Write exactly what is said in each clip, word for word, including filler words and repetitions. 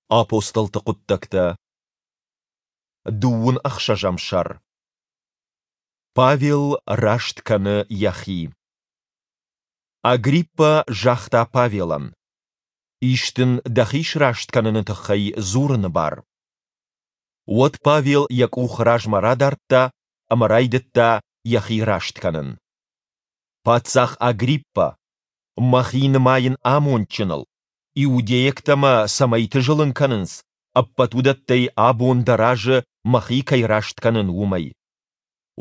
Апостолты хъуыддӕгтӕ, дыууын ӕхсӕзӕм сӕр. Павел раст кӕны йӕхи. Агриппӕ загъта Павелӕн: Ис дын дӕхи сраст кӕныны тыххӕй дзурыны бар. Уӕд Павел йӕ къух размӕ радардта ӕмӕ райдыдта йӕхи раст кӕнын. Паддзах Агриппӕ, мӕхи нымайын амондджыныл, иудейӕгтӕ мӕ цӕмӕйты зылын кӕнынц, ӕппӕт уыдӕттӕй абон дӕ разы мӕхи кӕй раст кӕнын, уымӕй.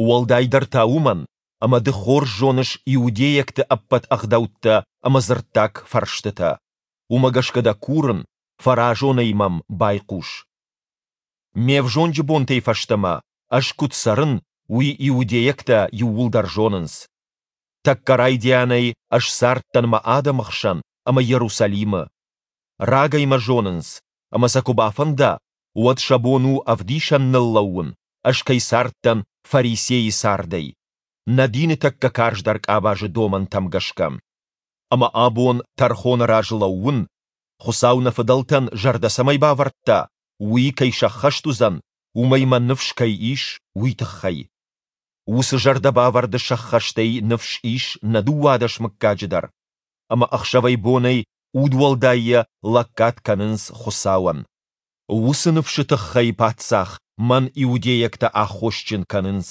Уӕлдайдӕр та уымӕн, ӕмӕ ды хорз зоныс иудейӕгты ӕппӕт ӕгъдӕуттӕ ӕмӕ дзырддаг фӕрстытӕ. Уымӕ гӕсгӕ дӕ курын, фӕразонӕй мӕм байхъус. Ме взонджы бонтӕй фӕстӕмӕ ӕз куыд цӕрын, уый иудейӕгтӕ иууылдӕр зонынц. Тӕккӕ райдианӕй ӕз цардтӕн мӕ адӕмы хсӕн ӕмӕ Иерусалимы. Рагӕй мӕ зонынц, ӕмӕ сӕ куы бафӕнда, уӕд сӕ бон у ӕвдисӕн ныллӕууын, ӕз кӕй цардтӕн фарисейы цардӕй, нӕ дины тӕккӕ карздӕр къабазы домӕнтӕм гӕсгӕ. Ӕмӕ абон тӕрхоны раз лӕууын, Хуыцау нӕ фыдӕлтӕн зӕрдӕ цӕмӕй бавӕрдта, уый кӕй сӕххӕст уыдзӕн, уымӕй мӕ ныфс кӕй ис, уый тыххӕй. Уыцы зӕрдӕбавӕрды сӕххӕстӕй ныфс ис нӕ дыууадӕс мыггаджы дӕр, ӕмӕ ӕхсӕвӕй-бонӕй удуӕлдайӕ лӕггад кӕнынц Хуыцауӕн. Уыцы ныфсы тыххӕй, паддзах, мӕн иудейӕгтӕ аххосджын кӕнынц.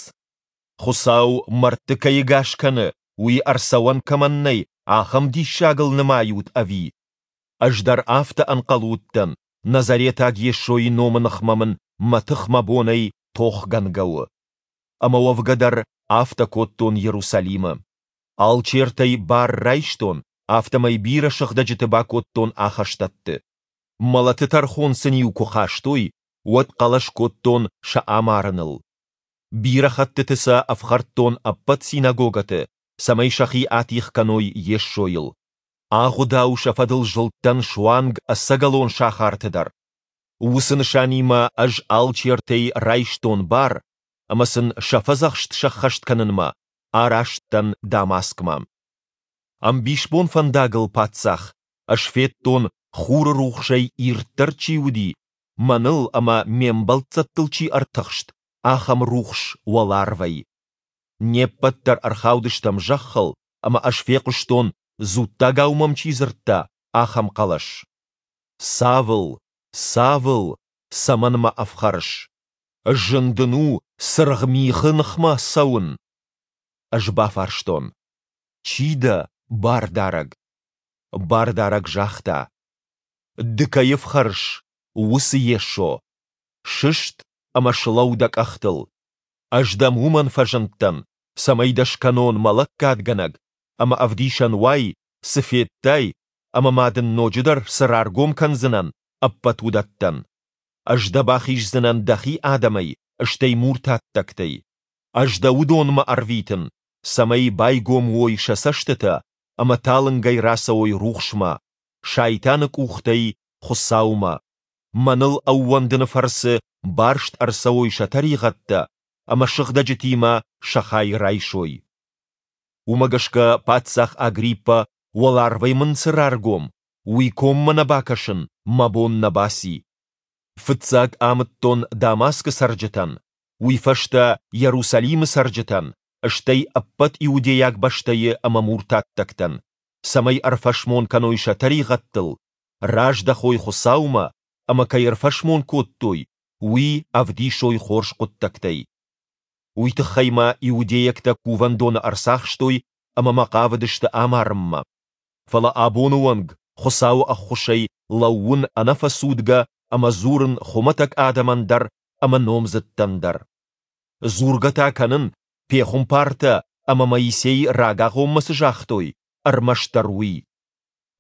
Хуыцау мӕрдты кӕй ӕгас кӕны, уый ӕрцӕуӕн кӕмӕн нӕй, ахӕм диссагыл нымайут ӕви? Ӕз дӕр афтӕ ӕнхъӕл уыдтӕн, Назаретаг Йесойы номы ныхмӕ мын мӕ тых-мӕ бонӕй тохгӕнгӕ у. Ӕмӕ уӕвгӕ дӕр афтӕ кодтон Иерусалимы. Алчертӕй бар райстон, афтӕмӕй бирӕ сыгъдӕджыты бакодтон ахӕстӕтты. Мӕлӕты тӕрхон сын-иу куы хастой, уӕд хъӕлӕс кодтон сӕ амарыныл. Бирӕ хӕттыты сӕ ӕфхӕрдтон ӕппӕт синагогӕты, цӕмӕй сӕхи атигъ кӕной Йесойыл. Агъуыдау сӕ фӕдыл зылдтӕн суанг ӕцӕгӕлон сахарты дӕр. Уыцы нысанимӕ ӕз алчертӕй райстон бар, ӕмӕ сын сӕ фӕдзӕхст сӕххӕст кӕнынмӕ араст дӕн Дамаскмӕ. Ӕмбисбон фӕндагыл, паддзах, ӕз федтон, хуры рухсӕй ирддӕр чи уыди, мӕныл ӕмӕ ме мбӕлццӕттыл чи ӕртыхст, ахӕм рухс уӕларвӕй. Не ппӕт дӕр ӕрхаудыстӕм зӕххыл, ӕмӕ ӕз фехъуыстон, дзуттагау мӕм чи дзырдта, ахӕм хъӕлӕс: Савл, Савл, цӕмӕн мӕ ӕфхӕрыс? Зын дын у цыргъ михы ныхмӕ цӕуын. Ӕз бафарстон: Чи дӕ, Бардарӕг? Бардарӕг загъта: Ды кӕй ӕфхӕрыс, уыцы Йесо. Сыст ӕмӕ слӕуу дӕ къӕхтыл. Ӕз дӕм уымӕн фӕзындтӕн, цӕмӕй дӕ скӕнон мӕ лӕггадгӕнӕг ӕмӕ ӕвдисӕн уай, цы федтай ӕмӕ ма дын ноджыдӕр цы раргом кӕндзынӕн, ӕппӕт уыдӕттӕн. Ӕз дӕ бахиздзынӕн дӕхи адӕмӕй, стӕй муртаттӕгтӕй. Ӕз дӕ уыдонмӕ ӕрвитын, цӕмӕй байгом уой сӕ цӕстытӕ ӕмӕ талынгӕй рацӕуой рухсмӕ, сайтаны къухтӕй Хуыцаумӕ, мӕныл ӕууӕндыны фӕрцы барст ӕрцӕуой сӕ тӕригъӕдтӕ ӕмӕ сыгъдӕджытимӕ сӕ хай райсой. Уымӕ гӕсгӕ паддзах Агриппӕ, уӕларвӕй мын цы раргом, уый коммӕ нӕ бакӕсын мӕ бон нӕ баци. Фыццаг амыдтон Дамаскы цӕрджытӕн, уый фӕстӕ Иерусалимы цӕрджытӕн, стӕй ӕппӕт иудейаг бӕстӕйы ӕмӕ муртаттӕгтӕн, цӕмӕй ӕрфӕсмон кӕной сӕ тӕригъӕдтыл, раздӕхой Хуыцаумӕ ӕмӕ кӕй ӕрфӕсмон кодтой, уый ӕвдисой хорз хъуыддӕгтӕй. Уый тыххӕй мӕ иудейӕгтӕ кувӕндоны ӕрцахстой ӕмӕ мӕ хъавыдысты амарынмӕ. Фӕлӕ абоны онг Хуыцауы ӕххуысӕй лӕууын ӕнӕфӕцудгӕ ӕмӕ дзурын хуымӕтӕг адӕмӕн дӕр ӕмӕ номдзыдтӕн дӕр. Дзургӕ та кӕнын, пехуымпартӕ ӕмӕ Моисей рагагъоммӕ цы загътой, ӕрмӕстдӕр уый.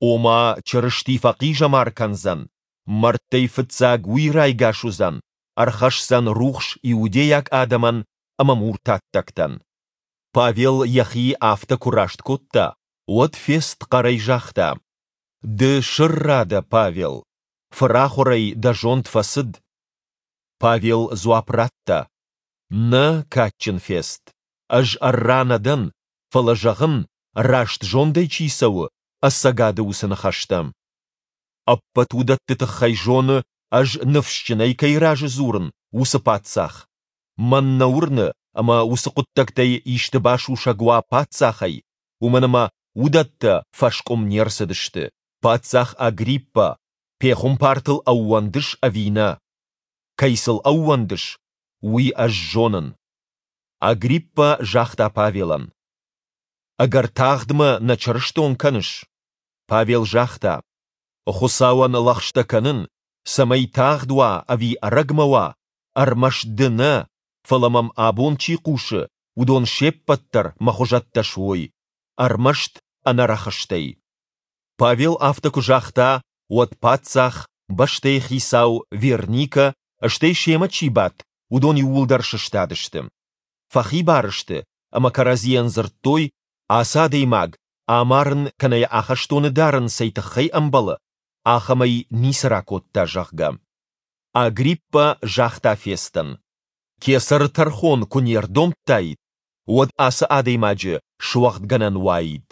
Ома Чырысти фӕхъизӕмар кӕндзӕн, мӕрдтӕй фыццаг уый райгас уыдзӕн, ӕрхӕсдзӕн рухс иудейаг адӕмӕн ӕмӕ муртаттӕгтӕн. Павел йӕхи афтӕ куы раст кодта, уӕд Фест хъӕрӕй загъта: Ды сӕрра дӕ, Павел! Фырахуырӕй дӕ зонд фӕцыд. Павел дзуапп радта: Нӕ, кадджын Фест, ӕз ӕрра нӕ дӕн, фӕлӕ зӕгъын, раст зондӕй чи цӕуы, ӕцӕгады уыцы ныхӕстӕ. Ӕппӕт уыдӕтты тыххӕй зоны ӕз ныфсджынӕй кӕй разы дзурын, уыцы паддзах! Мӕн нӕ уырны, ӕмӕ уыцы хъуыддӕгтӕй исты басусӕг уа паддзахӕй, уымӕн ӕмӕ уыдӕттӕ фӕскъуым не рцыдысты. Паддзах Агриппӕ, пехуымпартыл ӕууӕндыс ӕви нӕ? Кӕй сыл ӕууӕндыс, уый ӕз зонын. Агриппӕ загъта Павелӕн: Ӕгӕр тагъд мӕ нӕ чырыстон кӕныс? Павел загъта: Хуыцауӕн лӕгъстӕ кӕнын, цӕмӕй тагъд уа ӕви ӕрӕгмӕ уа, ӕрмӕст ды нӕ, фӕлӕ мӕм абон чи хъусы, уыдон се ппӕт дӕр мӕ хуызӕттӕ суой, ӕрмӕст ӕнӕ рӕхыстӕй. Павел афтӕ куы загъта, уӕд паддзах, бӕстӕйы хицау, Верникӕ, стӕй семӕ чи бадт, уыдон иууылдӕр сыстадысты. Фӕхибар сты ӕмӕ кӕрӕдзийӕн дзырдтой, ацы адӕймаг амарын кӕнӕ йӕ ахӕстоны дарын цӕй тыххӕй ӕмбӕлы, ахӕмӕй ницы ракодта, зӕгъгӕ. Агриппӕ загъта Фестӕн: Кесӕры тӕрхон куы не рдомдтаид, уӕд ацы адӕймаджы суӕгъдгӕнӕн уаид.